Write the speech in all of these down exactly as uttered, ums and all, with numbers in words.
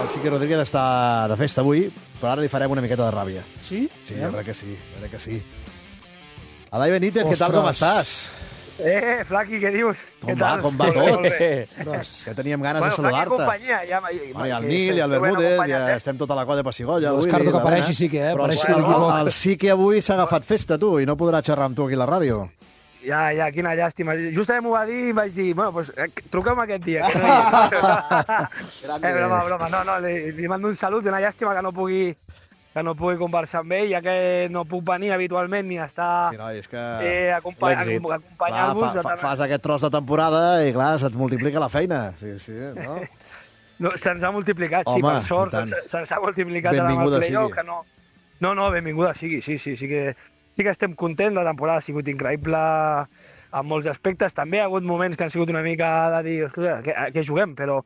el Sique Rodríguez està de festa avui, però ara li farem una miqueta de ràbia. Sí? Sí, jo crec que sí, jo crec que sí. Adai Benítez, què tal, com estàs? Eh, Flaqui, què dius? Com què va, tal? com va tot? Ostres. Que teníem ganes Bueno, de saludar-te. Flaqui companyia, ja... Bueno, i el Nil, i el Bermúdez, ja estem tota la colla de Pessigolles. No descarto que apareixi Sique, eh? Però Apareixi el, l'equip. el Sique avui s'ha agafat festa, tu, i no podrà xerrar amb tu aquí a la ràdio. Ja, ja, quina llàstima. Justament m'ho va dir i vaig dir, bueno, pues, eh, truquem aquest dia. Que no hi... eh, broma, broma. No, no, li, li mando un salut i una llàstima que no pugui que no pugui conversar amb ell, ja que no puc venir habitualment ni estar Sí, noi, és que... eh, acompa acompanyar-vos. Fa, fa, fas aquest tros de temporada i, clar, se't multiplica la feina. Sí, sí, no? No, se'ns ha multiplicat, Home, sí, per sort, i tant. se'ns se'ns ha multiplicat Benvinguda amb el playoff, sigui. que no... No, no, benvinguda sigui, sí, sí, sí que, sí que estem contents, la temporada ha sigut increïble en molts aspectes, també hi ha hagut moments que han sigut una mica de dir, ostres, què, què juguem, però,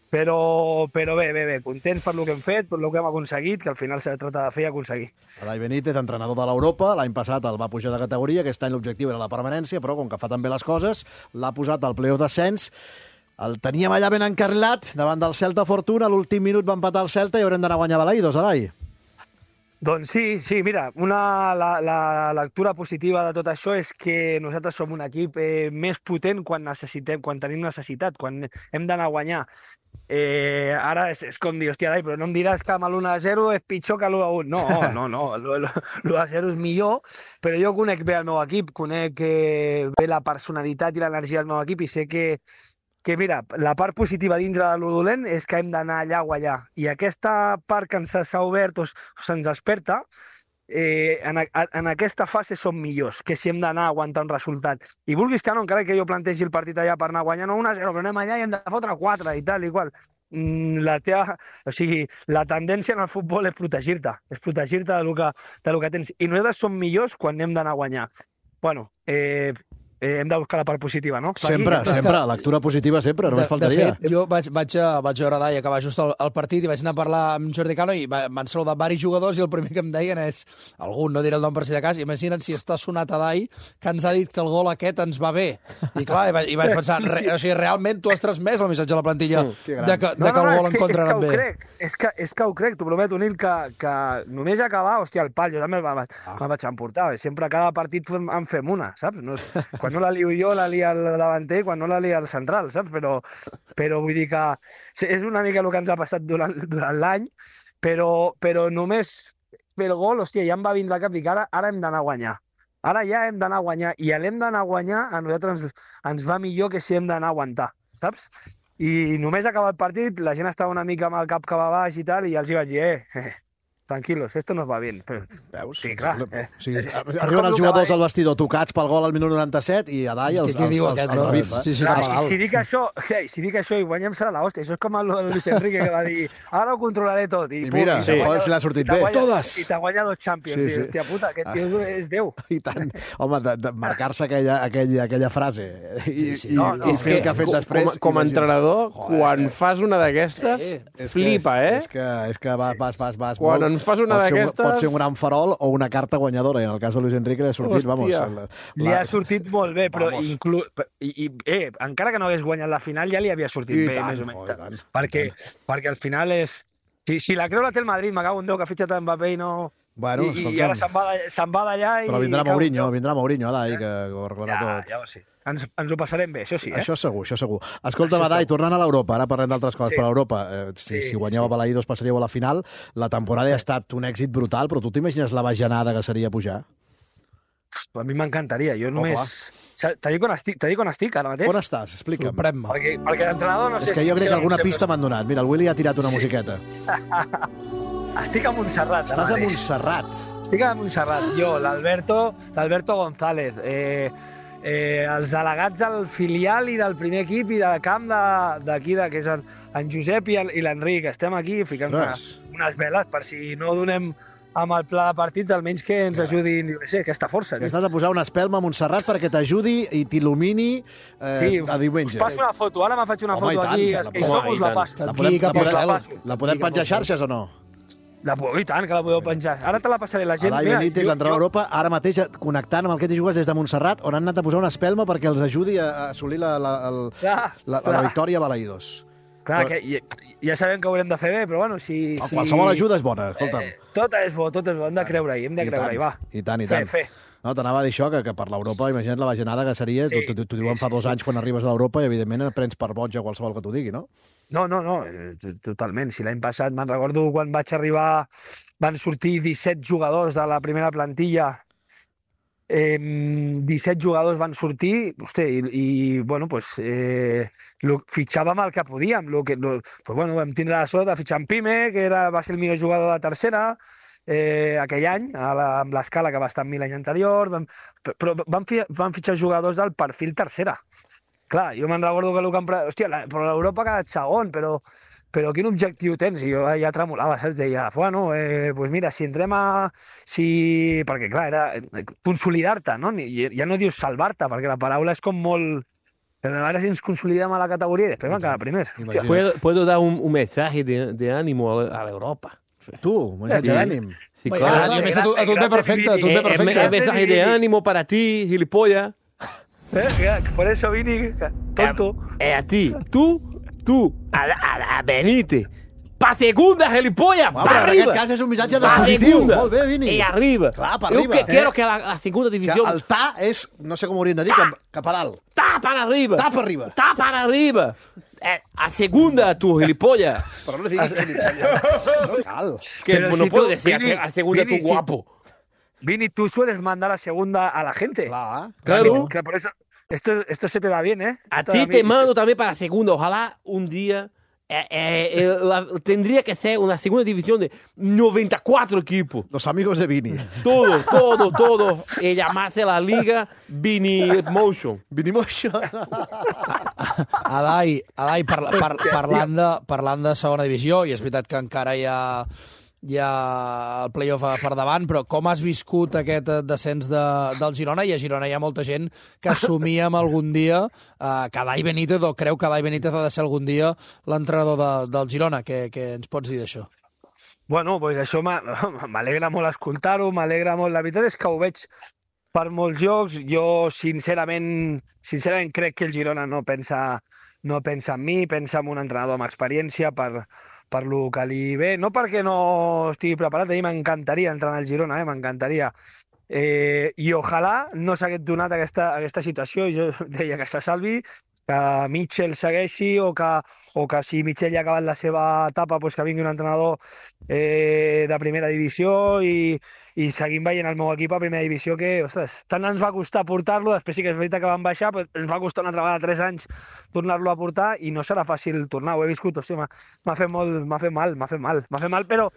però, però bé, bé, bé, contents per lo que hem fet, per lo que hem aconseguit, que al final s'ha de tractar de fer i aconseguir. Adai Benítez, entrenador de l'Europa, l'any passat el va pujar de categoria, aquest any l'objectiu era la permanència, però com que fa també les coses, l'ha posat al playoff d'ascens. El teníem allà ben encarrilat, davant del Celta Fortuna, a l'últim minut va empatar el Celta i haurem d'anar a guanyar Balaïdos, Adai. Doncs sí, sí, mira, una, la, la lectura positiva de tot això és que nosaltres som un equip eh, més potent quan necessitem, quan tenim necessitat, quan hem d'anar a guanyar. Eh, ara és, és com dir, hòstia, Dai, però no em diràs que amb l'u a zero és pitjor que l'u a un. No, no, no, l'u a zero és millor, però jo conec bé el meu equip, conec eh, bé la personalitat i l'energia del meu equip i sé que que mira, la part positiva dintre de lo dolent és que hem d'anar allà a guanyar. I aquesta part que ens s'ha obert o se'ns desperta, eh, en, a, en aquesta fase som millors que si hem d'anar a aguantar un resultat. I vulguis que no, encara que jo plantegi el partit allà per anar a guanyar, no un a zero, però anem allà i hem de fotre quatre i tal i qual. La teva, o sigui, la tendència en el futbol és protegir-te, és protegir-te de lo que, de lo que tens. I nosaltres som millors quan hem d'anar a guanyar. Bueno, eh, Eh, hem de buscar la part positiva, no? Sempre, Aquí, sempre. Lectura positiva sempre, només de, faltaria. De fet, jo vaig, vaig, a, vaig veure Dai acabar just el, el partit i vaig anar a parlar amb Jordi Cano i m'han saludat varis jugadors i el primer que em deien és, algun, no diré el nom per si de cas, imagina't si està sonat a Dai que ens ha dit que el gol aquest ens va bé. I clar, i vaig, i vaig pensar, re, o sigui, realment tu has transmès el missatge a la plantilla mm, de que, de que no, no, el gol en contra anat bé. Crec, és, que, és que ho crec, t'ho prometo, Nil, que, que només acabar, hòstia, el pal, jo també me'n ah. vaig emportar. Sempre a cada partit en fem una, saps? No és, quan no la lio jo, la lia el davanter, quan no la lia el central, saps? Però, però vull dir que és una mica el que ens ha passat durant, durant l'any, però, però només fer el gol, hòstia, ja em va vindre al cap, dic, ara, ara hem d'anar a guanyar. Ara ja hem d'anar a guanyar, i l'hem d'anar a guanyar a nosaltres ens, ens va millor que si hem d'anar a aguantar, saps? I només acabar el partit, la gent estava una mica amb el cap cap a baix i tal, i ja els hi vaig dir, eh, eh tranquilos, esto nos va bien. Però... Veus? Sí, clar. Eh. Sí, arriben els jugadors al vestidor tocats pel gol al minut noranta-set i a Dai els, els, els, els, els revif. Sí, sí, clar, si, si, dic això, hey, si dic això i guanyem serà l'hòstia. Això és com el de Luis Enrique que va dir ara ho controlaré tot. I, I mira, pum, sí. Joder, si l'ha sortit bé. Guanya, Totes! I t'ha guanyat dos Champions. Sí, sí. Hòstia puta, aquest tio ah. és Déu. I tant. Home, de, de marcar-se aquella, aquella, aquella frase i, sí, sí. i, no, no, i fer el que ha fet després. Com, com a entrenador, Joder, quan fas una d'aquestes, sí. flipa, eh? És que, és que vas, vas, vas, vas quan molt... en fas una d'aquestes... Pot ser un gran farol o una carta guanyadora, i en el cas de Luis Enrique li ha sortit, Hòstia. vamos... La, li ha sortit molt bé, però inclú... I, i, eh, encara que no hagués guanyat la final, ja li havia sortit I bé, tant, més o menys. oh, tant, perquè, perquè al final és... Si, si la creu la té el Madrid, me cago en Déu, que ha fitxat en Mbappé i no... Bueno, I, i ara se'n va, se'n va d'allà i... Però vindrà Mourinho, vindrà Mourinho, Adai, que ho arreglarà ja, tot. Ja ho sé. Ens, ens ho passarem bé, això sí, eh? Això segur, això segur. Escolta, Adai, tornant a l'Europa, ara parlem d'altres coses, sí. però a Europa, eh, si, sí, si guanyeu sí. a Balaïdos passaríeu a la final, la temporada ha estat un èxit brutal, però tu t'imagines la bajanada que seria pujar? A mi m'encantaria, jo només... Oh, T'ha dit on estic, t'ha dit on estic ara mateix? On estàs? Explica'm. Sorprèn-me. Perquè, perquè l'entrenador no sé... És que jo crec que alguna pista m'han donat. Mira, el Willy ha tirat una sí. musiqueta. Estic a Montserrat. Estàs a Montserrat. Estic a Montserrat. Jo, l'Alberto l'Alberto González, eh, eh, els delegats del filial i del primer equip i del camp d'aquí, que és en, en Josep i l'Enric. Estem aquí ficant unes, unes veles per si no donem amb el pla de partit, almenys que ens ajudi, no sé, aquesta força. Has de posar una espelma a Montserrat perquè t'ajudi i t'il·lumini eh, sí, a diumenge. Us passo una foto, ara me faig una Home, foto tant, aquí, la els que hi som us la passo. La podem, la podem, la podem penjar a xarxes o no? La, I tant, que la podeu penjar. Ara te la passaré la gent. Adai Benítez, l'entrenador d'Europa, ara mateix connectant amb el que t'hi jugues des de Montserrat, on han anat a posar una espelma perquè els ajudi a assolir la, la, el, la, la, la victòria a Balaïdos. Clar, que... I, ja sabem que ho haurem de fer bé, però bueno, si... Oh, si... qualsevol ajuda és bona, escolta'm. Eh, tot és bo, tot és bo, hem de creure-hi, hem de I creure-hi, tant, va. I tant, i Fer, tant. fer. No, t'anava a dir això, que, que per l'Europa, imagina't la bajanada que seria, Sí, t'ho sí, diuen fa sí, dos sí. anys quan arribes a l'Europa i, evidentment, prens per boig a qualsevol que t'ho digui, no? No, no, no, eh, totalment. Si l'any passat, me'n recordo quan vaig arribar, van sortir disset jugadors de la primera plantilla, eh, disset jugadors van sortir, hosti, i, i bueno, pues, eh, lo, fitxàvem el que podíem. Lo que, lo, pues, bueno, vam tindre la sort de fitxar en Pime, que era, va ser el millor jugador de tercera, eh, aquell any, a la, amb l'escala que va estar amb mi l'any anterior, vam, però van, fi, van fitxar jugadors del perfil tercera. Clar, jo me'n recordo que el que em... pre- Hòstia, la, però l'Europa ha quedat segon, però, però quin objectiu tens? I jo ja tremolava, saps? Deia, bueno, eh, pues mira, si entrem a... Si... Perquè, clar, era eh, consolidar-te, no? Ni- Ja no dius salvar-te, perquè la paraula és com molt... Però a veure si ens consolidem a la categoria i després vam quedar primers. Hòstia, Imagina't. Puedo, puedo dar un, un mensaje de, de ánimo a, la- a Europa. Tu, un missatge Sí. d'ànim. Sí, Bueno, claro. a més, a tu, a tu et ve perfecte, a tu et ve Eh, eh, perfecte. eh, mensaje de ánimo para ti, gilipollas. Eh, que por eso Vini, que- tonto. Eh, a ti, tú, tú, a, a, a Benítez. Pa segunda, gilipollas, Home, pa però en arriba. aquest cas és un missatge de Pa positiu. segunda. Molt bé, Vini. Y arriba. Clar, pa Yo arriba. que Eh? quiero que la, la segunda O sigui, división el ta és, no sé com ho haurien de dir, cap, cap a dalt. está para arriba. Ta para arriba. Está para arriba. Eh, a segunda, tu gilipollas. Però no diguis no cal. Que Pero no si puedo tú, decir a Vini, que- a segunda, Vini, tu si- guapo. Vini, tú sueles mandar a segunda a la gente. Clar. Claro. Que por eso, esto, esto se te da bien, ¿eh? A Esto ti mí- te mando también para segunda. Ojalá un día eh, eh, eh, la- tendría que ser una segunda división de noventa y cuatro equipos. Los amigos de Vini. Todo, todo, todo. Y llamarse la liga Vini Motion. Vinimos això. Adai, Adai par, par, parlant, de, parlant de segona divisió, i és veritat que encara hi ha, hi ha el play-off per davant, però com has viscut aquest eh, descens de, del Girona? I a Girona hi ha molta gent que assumíem algun dia eh, que Adai Benítez, o creu que Adai Benítez ha de ser algun dia l'entrenador de, del Girona. Què, què ens pots dir d'això? Bueno, pues això m'ha- m'alegra molt escoltar-ho, m'alegra molt. La veritat és que ho veig per molts jocs. Jo, sincerament, sincerament crec que el Girona no pensa, no pensa en mi, pensa en un entrenador amb experiència per, per lo que li ve. No perquè no estigui preparat, a mi m'encantaria entrenar el Girona, eh? M'encantaria. Eh, I ojalà no s'hagués donat aquesta, aquesta situació. Jo deia que se salvi, que Mitchell segueixi o que, o que si Mitchell ja ha acabat la seva etapa, doncs que vingui un entrenador eh, de primera divisió i, i seguim veient el meu equip a primera divisió que, ostres, tant ens va costar portar-lo, després sí que és veritat que van baixar, però ens va costar una altra vegada tres anys tornar-lo a portar i no serà fàcil tornar, ho he viscut, hòstia, m'ha m'ha fet molt, m'ha fet mal, m'ha fet mal, m'ha fet mal, però,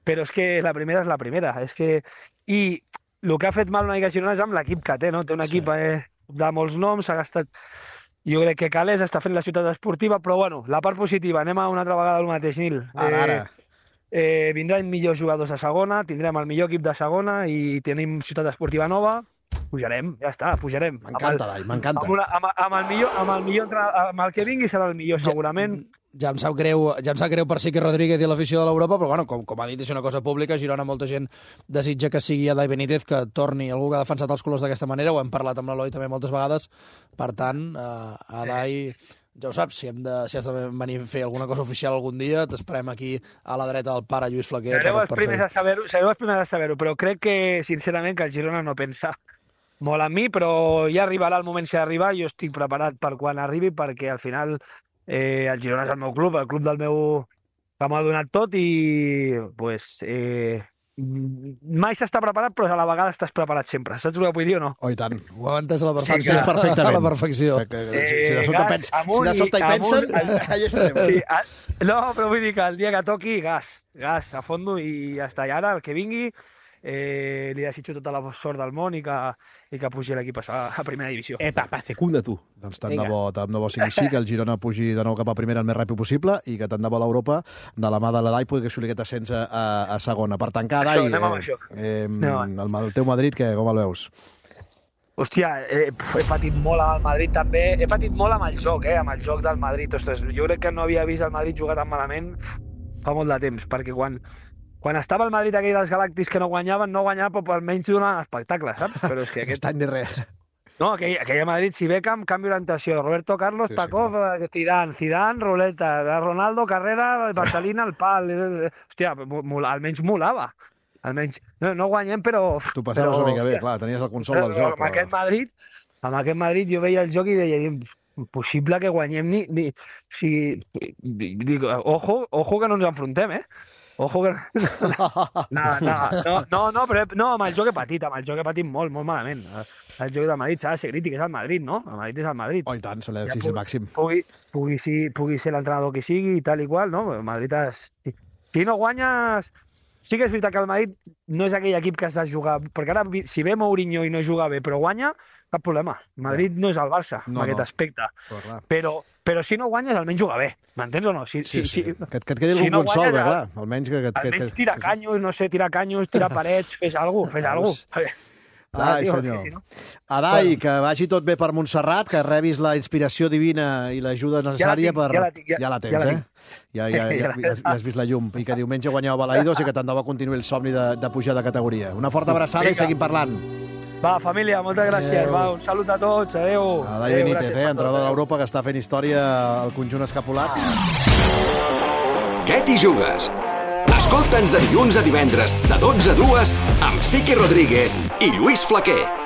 però és que la primera és la primera, és que... I el que ha fet mal una mica Girona és amb l'equip que té, no? Té un equip eh, de molts noms, s'ha gastat... Jo crec que Calés està fent la ciutat esportiva, però bueno, la part positiva, anem a una altra vegada al mateix, Nil. Ara, ara. Eh, vindran millors jugadors a segona, tindrem el millor equip de segona i tenim ciutat esportiva nova, pujarem, ja està, pujarem. M'encanta, Dai, m'encanta. Amb, una, amb, amb el millor, amb el millor entre, amb el que vingui serà el millor, segurament. Ja em sap greu, ja em sap greu per Sique Rodríguez i l'afició de l'Europa, però bueno, com, com ha dit, és una cosa pública. A Girona molta gent desitja que sigui Adai Benítez, que torni algú que ha defensat els colors d'aquesta manera. Ho hem parlat amb l'Eloi també moltes vegades. Per tant, eh, Adai, ja ho saps, si, hem de, si has de venir a fer alguna cosa oficial algun dia, t'esperem aquí a la dreta del pare Lluís Flaquer. Sereu per, els per primers fer-ho. a saber-ho, sereu els primers a saber-ho, però crec que, sincerament, que el Girona no pensa molt en mi, però ja arribarà el moment si ha d'arribar, jo estic preparat per quan arribi, perquè al final eh, el Girona és el meu club, el club del meu que m'ha donat tot i pues, eh, mai s'està preparat, però a la vegada estàs preparat sempre. Saps el que vull dir o no? Oh, i tant. Ho heu entès a la Sí, perfecció. és perfectament. A la perfecció. Que, que, si, si de Eh, sobte, gas, pens, si amunt de sobte hi i- pensen, amunt, allà estarem. Sí, a, no, però vull dir que el dia que toqui, gas, gas a fondo i ja està. I ara, el que vingui, eh, li desitjo tota la sort del món i que, i que pugi l'equip a, a primera divisió. Eh, pa, pa segunda, tu. Doncs tant de Vinga. bo, tant de bo sigui així, que el Girona pugi de nou cap a primera el més ràpid possible i que tant de bo l'Europa, de la mà de l'Adai, pugui assolir aquest ascens a, a, a segona. Per tancar, Això, Adai, anem amb això. eh, Anem eh, el, el teu Madrid, que, com el veus? Hòstia, eh, pf, he patit molt amb el Madrid també, he patit molt amb el joc, eh, amb el joc del Madrid. Ostres, jo crec que no havia vist el Madrid jugar tan malament fa molt de temps, perquè quan, quan estava el Madrid aquell dels Galàctics que no guanyaven, no guanyava, però almenys donaven espectacle, saps? Però és que Aquest aquest, any ni res. No, aquell, aquella Madrid, si Beckham, canvi orientació. Roberto Carlos, Sí, sí, Pacov, eh, Zidane, Zidane, Ruleta, Ronaldo, Carrera, Barcelina, el pal. eh, eh, Hòstia, mo- mola- almenys molava. Almenys, no, no guanyem, però... Tu passaves però, una mica bé, hòstia, clar, tenies el consol del però joc. Amb aquest Madrid, amb aquest Madrid jo veia el joc i deia, impossible que guanyem ni... ni si, dic, ojo, ojo que no ens enfrontem, eh? Ojo que... No, no, no, no, no, però no, amb el joc he patit, amb el joc he patit molt, molt malament. El joc del Madrid s'ha de ser crític, és el Madrid, no? El Madrid és el Madrid. Oh, i tant, se l'ha Ja d'exigir el màxim. Pugui, pugui, si, pugui ser l'entrenador que sigui i tal i qual, no? El Madrid és... Si, si no guanyes... Sí que és veritat que el Madrid no és aquell equip que has de jugar, perquè ara, si ve Mourinho i no juga bé, però guanya, cap problema. El Madrid no és el Barça, No, en aquest no. aspecte. Però, clar. Però, però si no guanyes, almenys juga bé. M'entens o no? Si, Sí, sí. si, si, Que, et- que et quedi si algun no consol, guanyes, bé, clar. Almenys que... que, que, almenys que tira sí, sí. canyos, no sé, tira canyos, tira parets, fes alguna cosa, fes alguna cosa. Ai, senyor. Si no... Adai, Bueno. que vagi tot bé per Montserrat, que rebis la inspiració divina i l'ajuda necessària tinc, per... ja la tinc, ja- ja la tens, ja la eh? tinc. Ja, ja, ja, ja, ja, has vist la llum. I que diumenge guanyeu Balaïdos i que tant de bo continuï el somni de, de pujar de categoria. Una forta abraçada i Vinga. seguim parlant. Va, família, moltes gràcies. Adéu. Va, un salut a tots. Adéu. Adai Adéu, Benítez, gràcies eh, per tot. entrenador de l'Europa, que està fent història al conjunt escapulat. Què t'hi jugues? Escolta'ns de dilluns a divendres, de dotze a dues, amb Siqui Rodríguez i Lluís Flaquer.